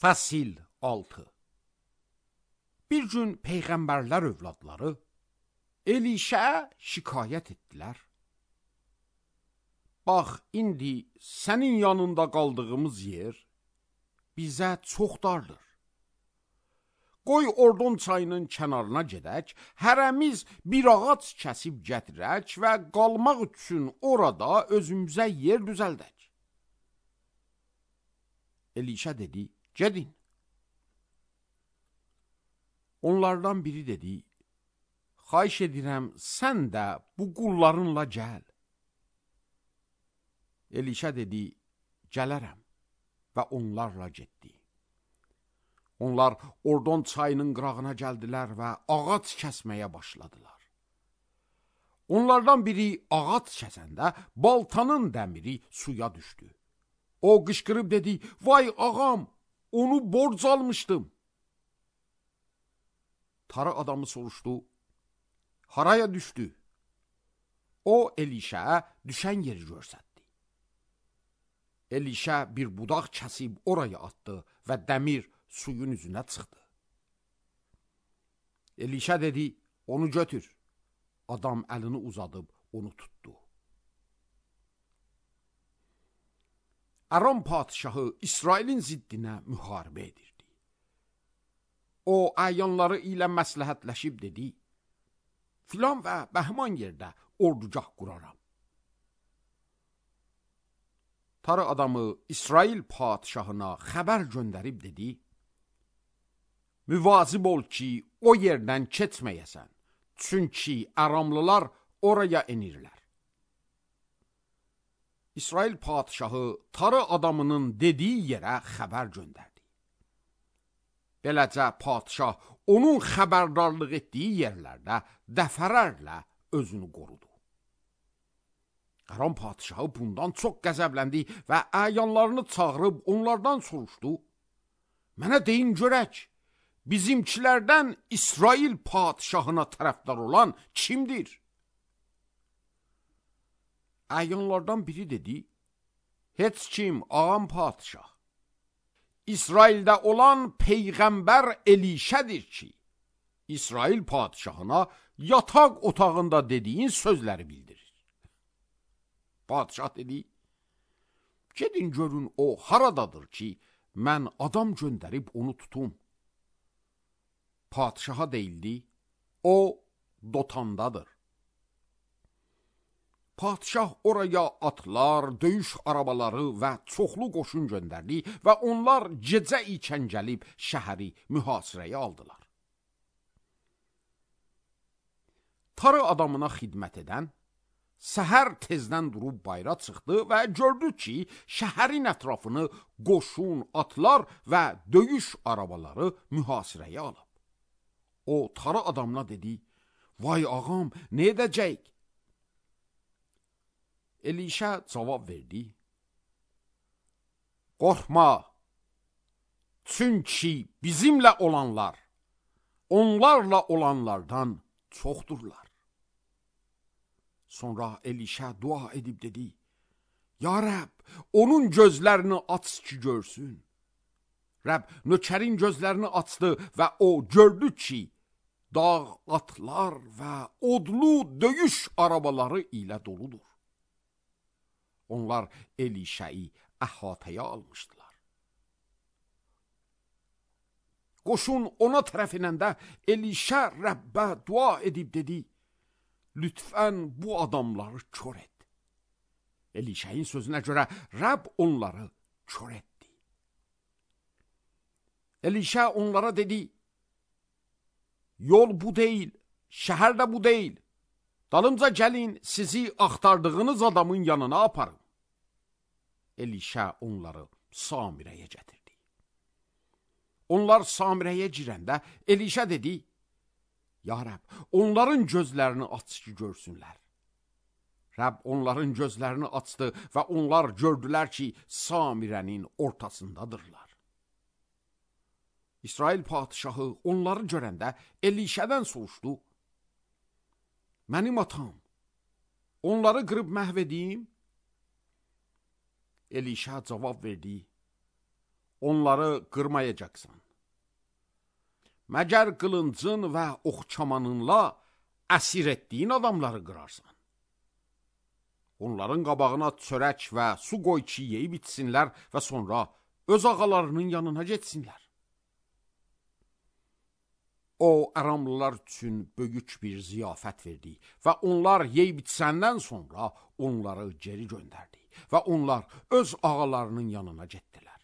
Fəsil 6. Bir gün peyğəmbərlər övladları Elişəyə şikayət etdilər. Bax, indi sənin yanında qaldığımız yer bizə çox dardır. Qoy Ordon çayının kənarına gedək, hərəmiz bir ağac kəsib gətirək və qalmaq üçün orada özümüzə yer düzəldək. Elişə dedi, gedin. Onlardan biri dedi, xahiş edirəm, sən də bu qullarınla gəl. Elişə dedi, gələrəm və onlarla getdi. Onlar Ordon çayının qırağına gəldilər və ağac kəsməyə başladılar. Onlardan biri ağac kəsəndə baltanın dəmiri suya düşdü. O qışqırıb dedi, vay ağam, onu borc almışdım. Tarı adamı soruşdu, haraya düşdü? O Elişəyə düşən yeri göstərdi. Elişə bir budaq kəsib oraya atdı və dəmir suyun üzünə çıxdı. Elişə dedi, onu götür. Adam əlini uzadıb onu tutdu. Aram padişahı İsrailin ziddinə müharibə edirdi. O əyanları ilə məsləhətləşib dedi, filan və bəhman yerdə ordugah quraram. Tarı adamı İsrail padişahına xəbər göndərib dedi, müvazib ol ki, o yerdən keçməyəsən, çünki Aramlılar oraya enirlər. İsrail padişahı tarı adamının dediyi yerə xəbər göndərdi. Beləcə padişah onun xəbərdarlıq etdiyi yerlərdə dəfələrlə özünü qorudu. Aram padişahı bundan çox qəzəbləndi və əyanlarını çağırıb onlardan soruşdu, mənə deyin görək, bizimkilərdən İsrail padişahına tərəfdar olan kimdir? Əyanlardan biri dedi, heç kim ağam padişah. İsraildə olan peyğəmbər Elişədir ki, İsrail padişahına yataq otağında dediyin sözləri bildirir. Padişah dedi, gedin görün o haradadır ki, mən adam göndərib onu tutum. Padişaha deyildi, o Dotandadır. Padişah oraya atlar, döyüş arabaları və çoxlu qoşun göndərdi və onlar gecə ikən gəlib şəhəri mühasirəyə aldılar. Tarı adamına xidmət edən səhər tezdən durub bayra çıxdı və gördü ki, şəhərin ətrafını qoşun, atlar və döyüş arabaları mühasirəyə alıb. O tarı adamına dedi, vay ağam, nə edəcək? Elişə cavab verdi, qorxma, çünki bizimlə olanlar, onlarla olanlardan çoxdurlar. Sonra Elişə dua edib dedi, ya Rəbb, onun gözlərini aç ki görsün. Rəbb nökərin gözlərini açdı və o gördü ki, dağ atlar və odlu döyüş arabaları ilə doludur. Onlar Elişəyi əhatəyə almışdılar. Qoşun ona tərəf inəndə Elişə Rəbbə dua edib dedi, lütfən bu adamları kör et. Elişəyin sözünə görə Rəbb onları kör etdi. Elişə onlara dedi, yol bu deyil, şəhər də bu deyil. Dalımca gəlin, sizi axtardığınız adamın yanına aparın. Elişə onları Samirəyə gətirdi. Onlar Samirəyə girəndə Elişə dedi, ya Rəbb, onların gözlərini aç ki görsünlər. Rəbb onların gözlərini açdı və onlar gördülər ki, Samirənin ortasındadırlar. İsrail padişahı onları görəndə Elişədən soruşdu, mənim atam, onları qırıb məhv edeyim? Elişə cavab verdi, onları qırmayacaqsan. Məgər qılıncın və oxçamanınla əsir etdiyin adamları qırarsan. Onların qabağına çörək və su qoy ki, yeyib içsinlər və sonra öz ağalarının yanına getsinlər. O, Aramlılar üçün böyük bir ziyafət verdi və onlar yeyib içsəndən sonra onları geri göndərdi və onlar öz ağalarının yanına getdilər.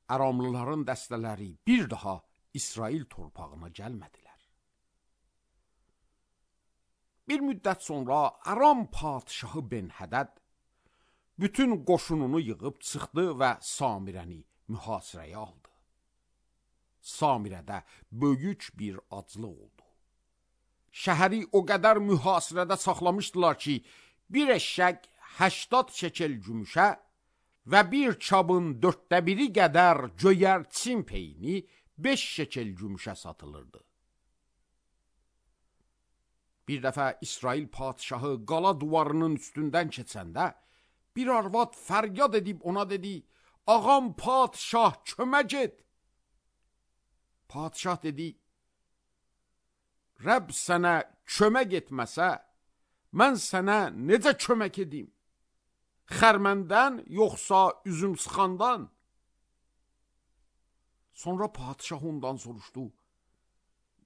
Aramlıların dəstələri bir daha İsrail torpağına gəlmədilər. Bir müddət sonra Aram padişahı Ben-Hədəd bütün qoşununu yığıb çıxdı və Samirəni mühasirəyə aldı. Samirədə böyük bir aclıq oldu. Şəhəri o qədər mühasirədə saxlamışdılar ki, bir eşşək 80 şekel gümüşə və bir çabın 1/4 qədər göyərçin peyni 5 şekel gümüşə satılırdı. Bir dəfə İsrail padişahı qala duvarının üstündən keçəndə, bir arvad fəryad edib ona dedi, ağam padişah kömək et. Padişah dedi, Rəbb sənə kömək etməsə, mən sənə necə kömək edim? Xərməndən yoxsa üzüm sıxandan? Sonra padişah ondan soruşdu,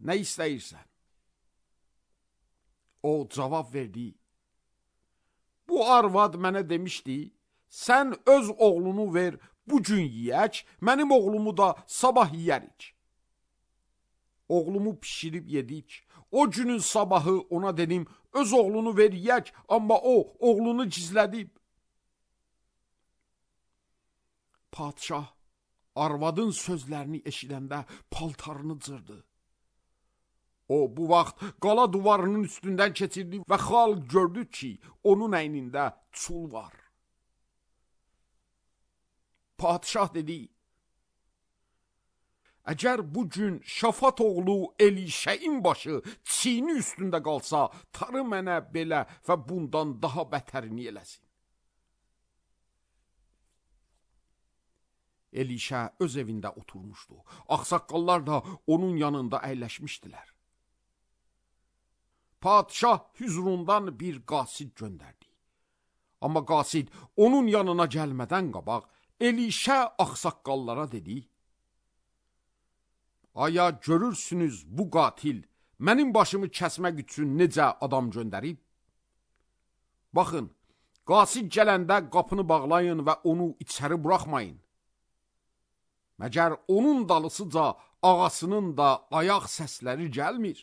nə istəyirsən? O cavab verdi, bu arvad mənə demişdi, sən öz oğlunu ver, bu gün yiyək, mənim oğlumu da sabah yiyərik. Oğlumu pişirib yedik. O günün sabahı ona dedim, öz oğlunu ver yiyək, amma o, oğlunu gizlədib. Padişah arvadın sözlərini eşidəndə paltarını cırdı. O, bu vaxt qala duvarının üstündən keçirdi və xalq gördü ki, onun əynində çul var. Padişah dedi, əgər bu gün Şafat oğlu Elişəyin başı çiyni üstündə qalsa, tarı mənə belə və bundan daha bətərini eləsin. Elişə öz evində oturmuşdu. Ağsaqqallar da onun yanında əyləşmişdilər. Padişah hüzurundan bir qasid göndərdi. Amma qasid onun yanına gəlmədən qabaq Elişə ağsaqqallara dedi, aya görürsünüz bu qatil mənim başımı kəsmək üçün necə adam göndərib? Baxın, qasid gələndə qapını bağlayın və onu içəri buraxmayın. Məgər onun dalısıca ağasının da ayaq səsləri gəlmir.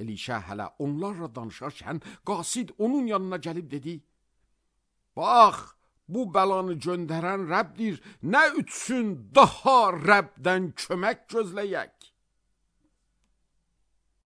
Elişə hələ onlarla danışarkən qasid onun yanına gəlib dedi, bax, bu bəlanı göndərən Rəbdir, nə üçün daha Rəbdən kömək gözləyək?